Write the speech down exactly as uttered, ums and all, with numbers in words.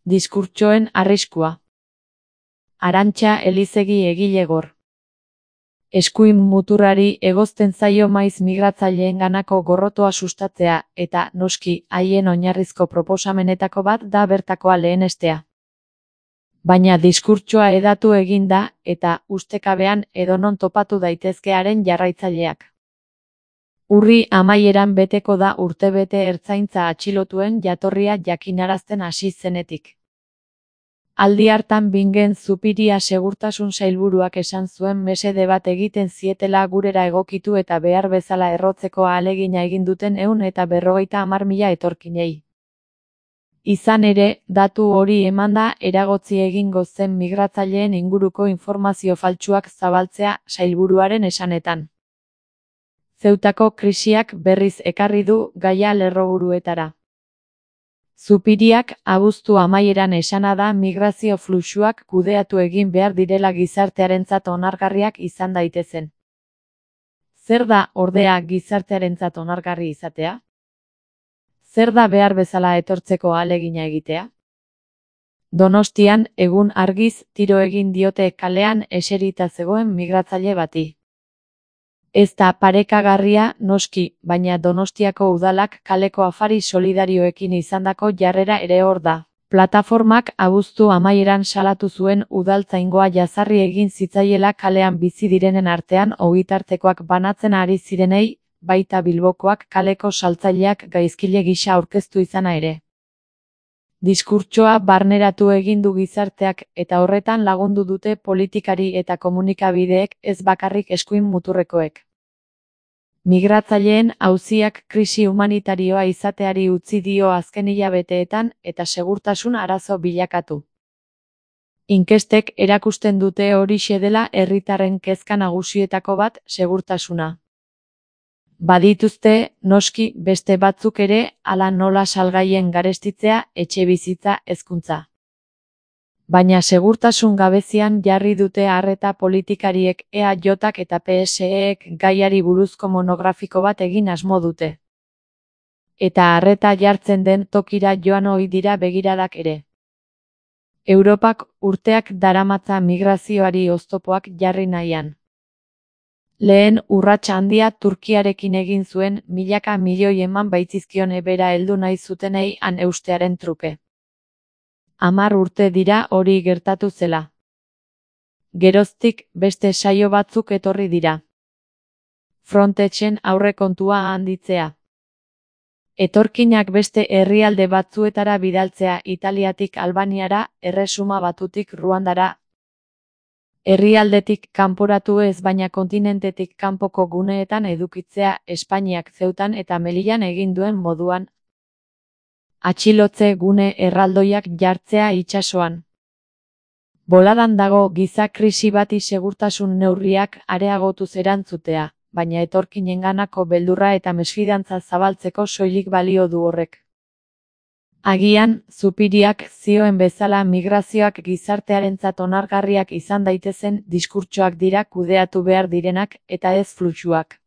Diskurtsoen arriskua. Arantxa Elizegi egilegor. Eskuin muturrari egozten zaio maiz migratzaileenganako gorrotoa sustatzea, eta, noski, haien oinarrizko proposamenetako bat da bertakoa lehenestea. Baina diskurtsoa hedatu egin da, eta, ustekabean edonon topatu daitezkearen jarraitzaileak. Urri amaieran beteko da urtebete ertzaintza atxilotuen jatorria jakinarazten hasi zenetik. Aldi hartan Bingen Zupiria segurtasun sailburuak esan zuen mesede bat egiten zietela gurera egokitu eta behar bezala errotzeko ahalegina egin duten ehun eta berrogeita hamar mila etorkinei. Izan ere, datu hori emanda eragotzi egingo zen migratzaileen inguruko informazio faltsuak zabaltzea sailburuaren esanetan. Zeutako krisiak berriz ekarri du gaia lerroburuetara. Zupiriak abuztu amaieran esana da migrazio fluxuak kudeatu egin behar direla gizartearentzat onargarriak izan daitezen. Zer da, ordea, gizartearentzat onargarri izatea? Zer da behar bezala etortzeko ahalegina egitea? Donostian, egun argiz, tiro egin diote kalean eserita zegoen migratzaile bati. Ez da parekagarria, noski, baina Donostiako udalak kaleko afari solidarioekin izandako jarrera ere hor da. Plataformak abuztu amaieran salatu zuen udaltzaingoa jazarri egin zitzaiela kalean bizi direnen artean ogitartekoak banatzen ari zirenei, baita Bilbokoak kaleko saltzaileak gaizkile gisa aurkeztu izana ere. Diskurtsoa barneratu egin du gizarteak eta horretan lagundu dute politikari eta komunikabideek, ez bakarrik eskuin muturrekoek. Migratzaileen auziak krisi humanitarioa izateari utzi dio azken hilabeteetan eta segurtasun arazo bilakatu. Inkestek erakusten dute horixe dela herritarren kezka nagusietako bat, segurtasuna. Badituzte, noski, beste batzuk ere, hala nola salgaien garestitzea, etxebizitza, hezkuntza. Baina segurtasun gabezian jarri dute arreta politikariek E A J-ak eta P S E-ek gaiari buruzko monografiko bat egin asmo dute. Eta arreta jartzen den tokira joan ohi dira begiradak ere. Europak urteak daramatza migrazioari oztopoak jarri nahian. Lehen urrats handia Turkiarekin egin zuen milaka milioi eman baitzizkion ebera heldu nahi zutenei han eustearen truke. Hamar urte dira hori gertatu zela. Geroztik beste saio batzuk etorri dira. Frontexen aurrekontua handitzea. Etorkinak beste herrialde batzuetara bidaltzea Italiatik Albaniara, Erresuma Batutik Ruandara. Herrialdetik kanporatu ez baina kontinentetik kanpoko guneetan edukitzea Espainiak Zeutan eta Melillan egin duen moduan. Atxilotze gune erraldoiak jartzea itsasoan. Boladan dago giza krisi bati segurtasun neurriak areagotuz erantzutea, baina etorkinenganako beldurra eta mesfidantza zabaltzeko soilik balio du horrek. Agian, Zupiriak zioen bezala migrazioak gizartearentzat onargarriak izan daitezen diskurtsoak dira kudeatu behar direnak eta ez fluxuak.